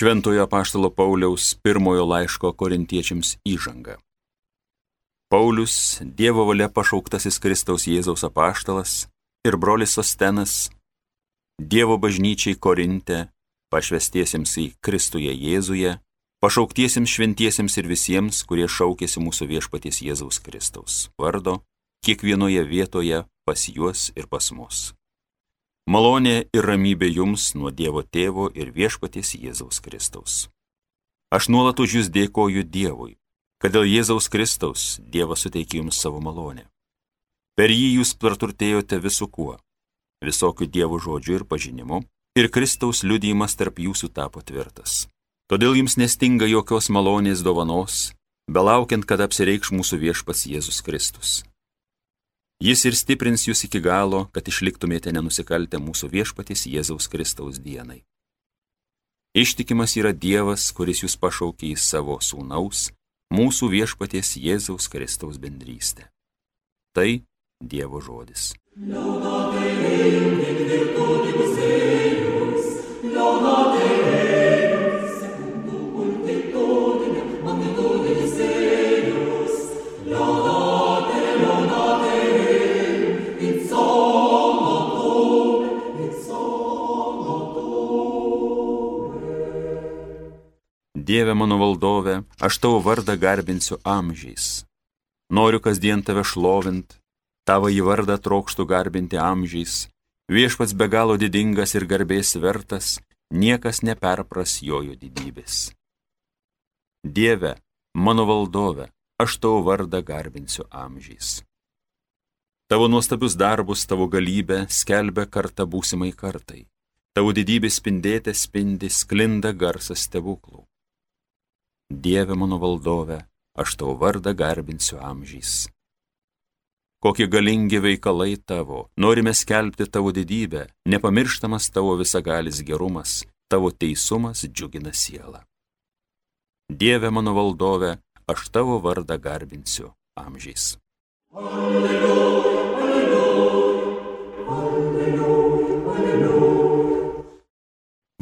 Šventojo apaštalo Pauliaus pirmojo laiško korintiečiams įžanga. Paulius, Dievo valia pašauktasis Kristaus Jėzaus apaštalas ir brolis Sostenas, Dievo bažnyčiai Korinte, pašvestiesiems į Kristuje Jėzuje, pašauktiesiems šventiesiems ir visiems, kurie šaukėsi mūsų viešpaties Jėzaus Kristaus vardo, kiekvienoje vietoje pas juos ir pas mus. Malonė ir ramybė jums nuo Dievo Tėvo ir viešpaties Jėzaus Kristaus. Aš nuolat už jūs dėkoju Dievui, kad dėl Jėzaus Kristaus Dievas suteikė jums savo malonę. Per jį jūs praturtėjote visu kuo, visokių Dievo žodžių ir pažinimu, ir Kristaus liudijimas tarp jūsų tapo tvirtas. Todėl jums nestinga jokios malonės dovanos, belaukiant, kad apsireikš mūsų viešpats Jėzus Kristus. Jis ir stiprins jūs iki galo, kad išliktumėte nenusikaltę mūsų viešpaties Jėzaus Kristaus dienai. Ištikimas yra Dievas, kuris jūs pašaukė į savo sūnaus, mūsų viešpaties Jėzaus Kristaus bendrystę. Tai Dievo žodis. Dieve mano valdove, aš tavo vardą garbinsiu amžiais. Noriu kasdien tave šlovint, tavo į vardą trokštų garbinti amžiais. Viešpats be galo didingas ir garbės vertas, niekas neperpras jojo didybės. Dieve, mano valdove, aš tavo vardą garbinsiu amžiais. Tavo nuostabius darbus, tavo galybę skelbia karta būsimai kartai. Tavo didybės spindėte spindi, sklinda garsas stebuklų. Dieve mano valdove, aš tavo vardą garbinsiu amžiais. Kokie galingi veikalai tavo, norime skelbti tavo didybę, nepamirštamas tavo visagalis gerumas, tavo teisumas džiugina sielą. Dieve mano valdove, aš tavo vardą garbinsiu amžiais. Alleluja, alleluja, alleluja, alleluja.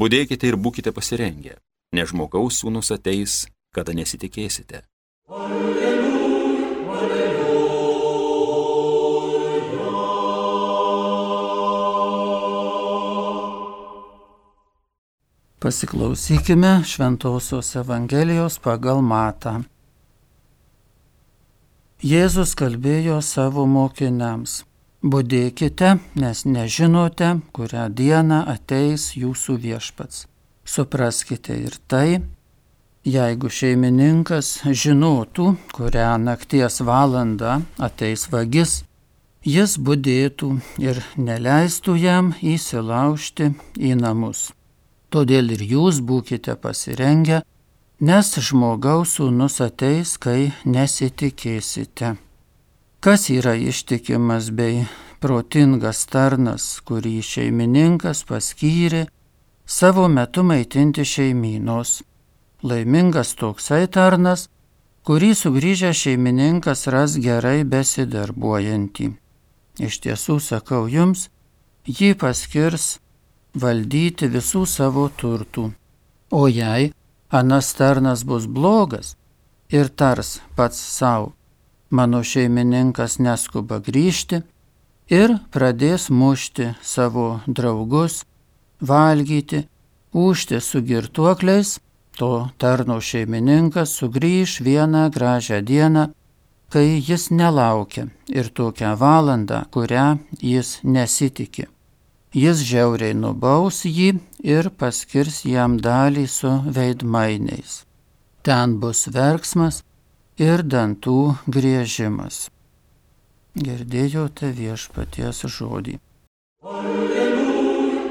Budėkite ir būkite pasirengę, nes žmogaus sūnus ateis, kada nesitikėsite. Alleluja, alleluja. Pasiklausykime Šventosios Evangelijos pagal Matą. Jėzus kalbėjo savo mokiniams: budėkite, nes nežinote, kurią dieną ateis jūsų viešpats. Supraskite ir tai, jeigu šeimininkas žinotų, kurią nakties valandą ateis vagis, jis budėtų ir neleistų jam įsilaužti į namus. Todėl ir jūs būkite pasirengę, nes žmogaus sūnus ateis, kai nesitikėsite. Kas yra ištikimas bei protingas tarnas, kurį šeimininkas paskyrė savo metu maitinti šeimynos? Laimingas toksai tarnas, kurį sugrįžęs šeimininkas ras gerai besidarbuojantį. Iš tiesų sakau jums, jį paskirs valdyti visų savo turtų. O jei anas tarnas bus blogas ir tars pats savo: mano šeimininkas neskuba grįžti, ir pradės mušti savo draugus, valgyti, ūžti su girtuokliais, to tarno šeimininkas sugrįš vieną gražią dieną, kai jis nelaukia, ir tokią valandą, kurią jis nesitiki. Jis žiauriai nubaus jį ir paskirs jam dalį su veidmainiais. Ten bus verksmas ir dantų griežimas. Girdėjote viešpaties žodį. Alleluja,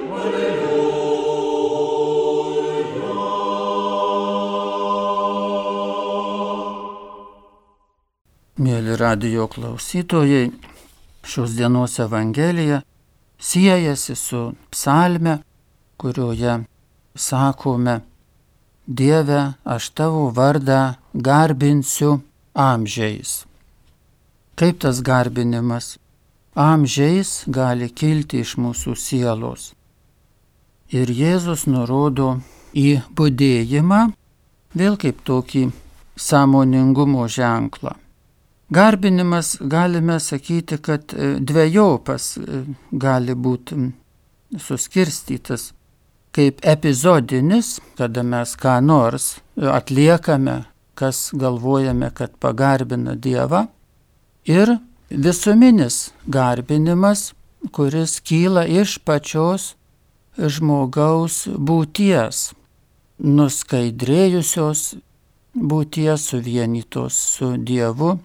alleluja. Mėly radijo klausytojai, šios dienos Evangelija siejasi su psalme, kurioje sakome: Dieve, aš tavo vardą garbinsiu amžiais. Kaip tas garbinimas amžiais gali kilti iš mūsų sielos? Ir Jėzus nurodo į budėjimą, vėl kaip tokį sąmoningumo ženklą. Garbinimas galime sakyti, kad dvejopas gali būti suskirstytas kaip epizodinis, kada mes ką nors atliekame, kas galvojame, kad pagarbina Dievą, ir visuminis garbinimas, kuris kyla iš pačios žmogaus būties, nuskaidrėjusios būties, suvienytos su Dievu,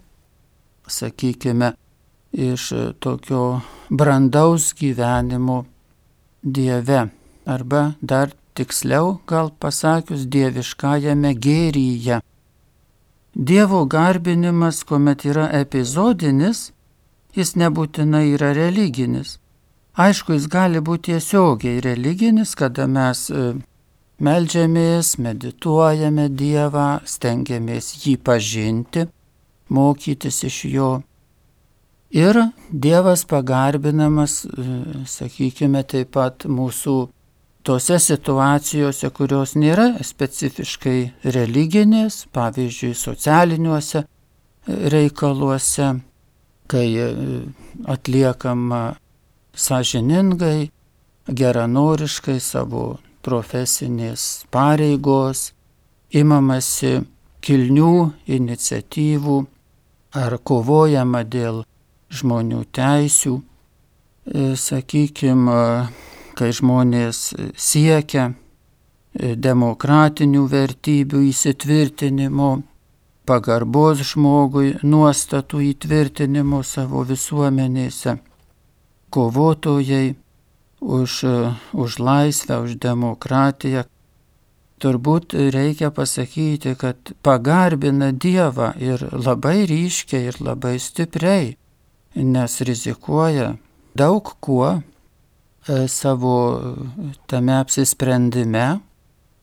sakykime, iš tokio brandaus gyvenimo Dieve, arba dar tiksliau gal pasakius dieviškajame gėryje. Dievo garbinimas, kuomet yra epizodinis, jis nebūtinai yra religinis. Aišku, jis gali būti tiesiogiai religinis, kada mes meldžiamės, medituojame Dievą, stengiamės jį pažinti, mokytis iš jo. Ir Dievas pagarbinamas, sakykime, taip pat mūsų tose situacijose, kurios nėra specifiškai religinės, pavyzdžiui, socialiniuose reikaluose, kai atliekama sąžiningai, geranoriškai savo profesinės pareigos, imamasi kilnių iniciatyvų ar kovojama dėl žmonių teisių, sakykime, kai žmonės siekia demokratinių vertybių įsitvirtinimo, pagarbos žmogui, nuostatų įtvirtinimo savo visuomenėse, kovotojai už laisvę, už demokratiją. Turbūt reikia pasakyti, kad pagarbina Dievą ir labai ryškiai ir labai stipriai, nes rizikuoja daug kuo savo tame apsisprendime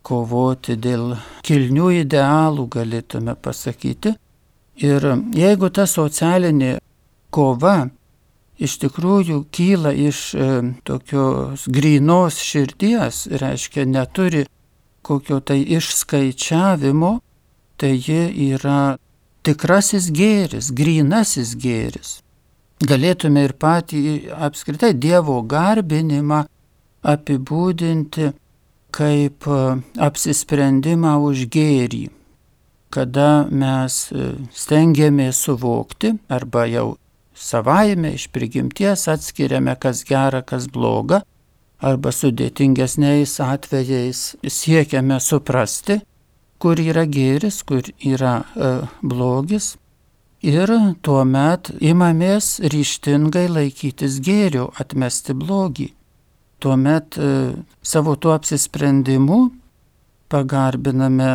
kovoti dėl kilnių idealų, galėtume pasakyti. Ir jeigu ta socialinė kova iš tikrųjų kyla iš tokios grynos širdies, reiškia neturi kokio tai išskaičiavimo, tai ji yra tikrasis gėris, grynasis gėris. Galėtume ir patį apskritai Dievo garbinimą apibūdinti kaip apsisprendimą už gėrį, kada mes stengiamės suvokti arba jau savaime iš prigimties atskiriame, kas gera, kas bloga, arba sudėtingesniais atvejais siekiame suprasti, kur yra gėris, kur yra blogis. Ir tuomet imamės ryžtingai laikytis gėrio, atmesti blogį. Tuomet savo tuo apsisprendimu pagarbiname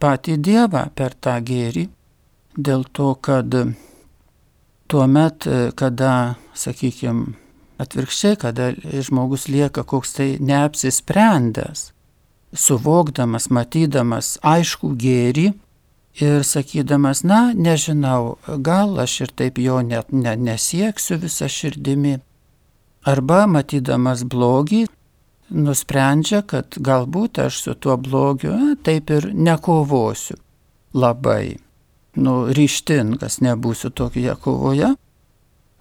patį Dievą per tą gėrį, dėl to, kad tuomet, kada, sakykime, atvirkščiai, kada žmogus lieka koks tai neapsisprendęs, suvokdamas, matydamas aiškų gėrį, ir sakydamas, nežinau, gal aš ir taip jo net nesieksiu visą širdimi. Arba matydamas blogį, nusprendžia, kad galbūt aš su tuo blogiu taip ir nekovosiu labai. Ryžtingas nebūsiu tokioje kovoje.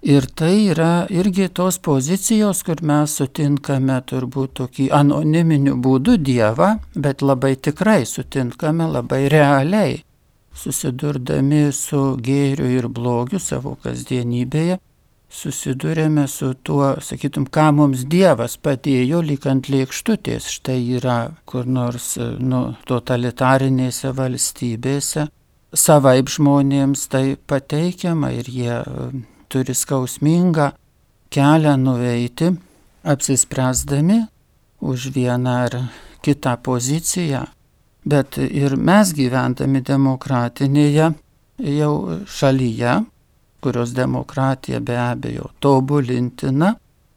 Ir tai yra irgi tos pozicijos, kur mes sutinkame turbūt tokį anoniminiu būdu Dievą, bet labai tikrai sutinkame, labai realiai. Susidurdami su gėriu ir blogiu savo kasdienybėje, susidurėme su tuo, sakytum, ką mums Dievas padėjo lyg ant lėkštutės. Štai yra kur nors totalitarinėse valstybėse, savaip žmonėms tai pateikiama ir jie turi skausmingą kelią nueiti, apsispręsdami už vieną ar kitą poziciją. Bet ir mes gyvendami demokratinėje jau šalyje, kurios demokratija be abejo tobulintina,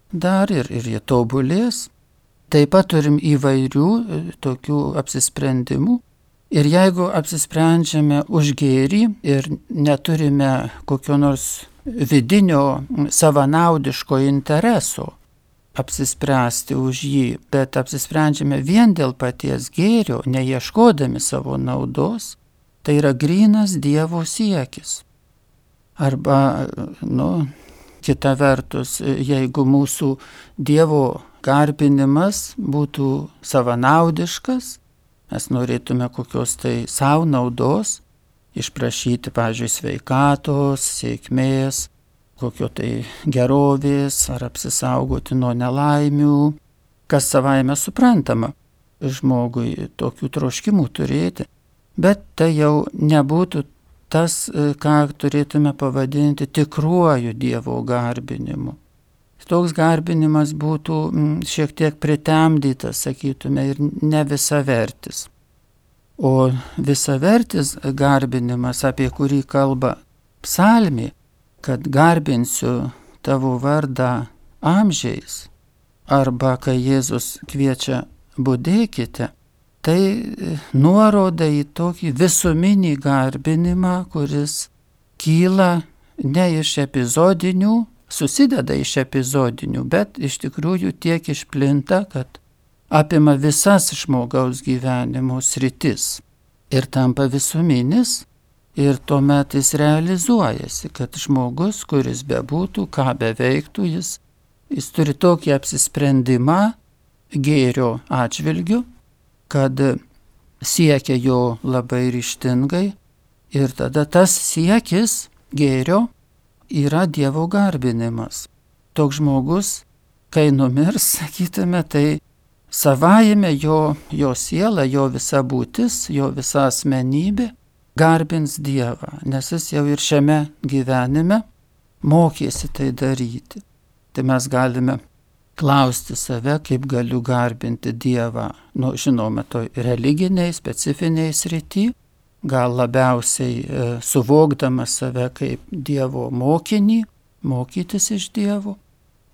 dar ir jie tobulės, taip pat turim įvairių tokių apsisprendimų. Ir jeigu apsisprendžiame už gėrį ir neturime kokio nors vidinio savanaudiško intereso, apsispręsti už jį, bet apsisprendžiame vien dėl paties gėrio, neieškodami savo naudos, tai yra grynas Dievo siekis. Arba, kita vertus, jeigu mūsų Dievo garbinimas būtų savanaudiškas, mes norėtume kokios tai savo naudos, išprašyti, pavyzdžiui, sveikatos, sėkmės, kokio tai gerovės ar apsisaugoti nuo nelaimių, kas savaime suprantama žmogui tokių troškimų turėti, bet tai jau nebūtų tas, ką turėtume pavadinti tikruoju Dievo garbinimu. Toks garbinimas būtų šiek tiek pritemdytas, sakytume, ir ne visavertis. O visavertis garbinimas, apie kurį kalba psalmė, kad garbinsiu tavo vardą amžiais, arba kai Jėzus kviečia budėkite, tai nuoroda į tokį visuminį garbinimą, kuris kyla ne iš epizodinių, susideda iš epizodinių, bet iš tikrųjų tiek išplinta, kad apima visas žmogaus gyvenimo sritis ir tampa visuminis, ir tuomet jis realizuojasi, kad žmogus, kuris bebūtų, ką beveiktų, jis turi tokį apsisprendimą gėrio atžvilgiu, kad siekia jo labai ryžtingai, ir tada tas siekis gėrio yra Dievo garbinimas. Toks žmogus, kai numirs, sakytume, tai savaime jo siela, jo visa būtis, jo visa asmenybė garbins Dievą, nes jis jau ir šiame gyvenime mokėsi tai daryti. Tai mes galime klausti save, kaip galiu garbinti Dievą, žinoma, toj religiniai, specifiniai srity, gal labiausiai suvokdama save kaip Dievo mokinį, mokytis iš Dievo,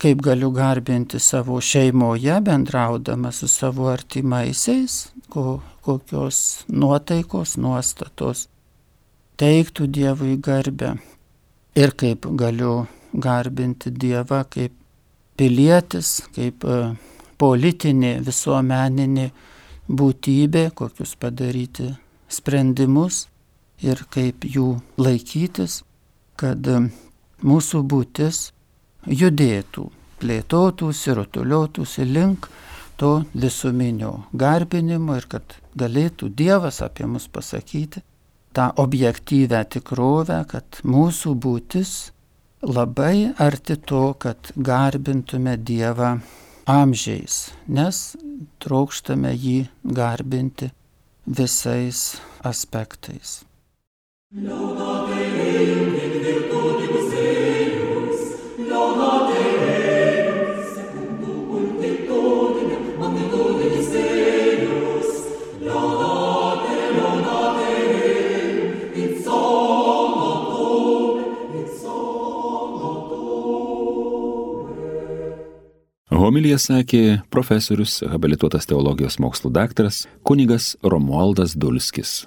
kaip galiu garbinti savo šeimoje, bendraudama su savo artimaisiais, kokios nuotaikos, nuostatos teiktų Dievui garbę, ir kaip galiu garbinti Dievą kaip pilietis, kaip politinė, visuomeninė būtybė, kokius padaryti sprendimus ir kaip jų laikytis, kad mūsų būtis judėtų, plėtotųsi, rutuliotųsi link to visuminio garbinimo ir kad galėtų Dievas apie mus pasakyti tą objektyvę tikrovę, kad mūsų būtis labai arti to, kad garbintume Dievą amžiais, nes trokštame jį garbinti visais aspektais. Homiliją sakė profesorius, habilituotas teologijos mokslų daktaras kunigas Romualdas Dulskis.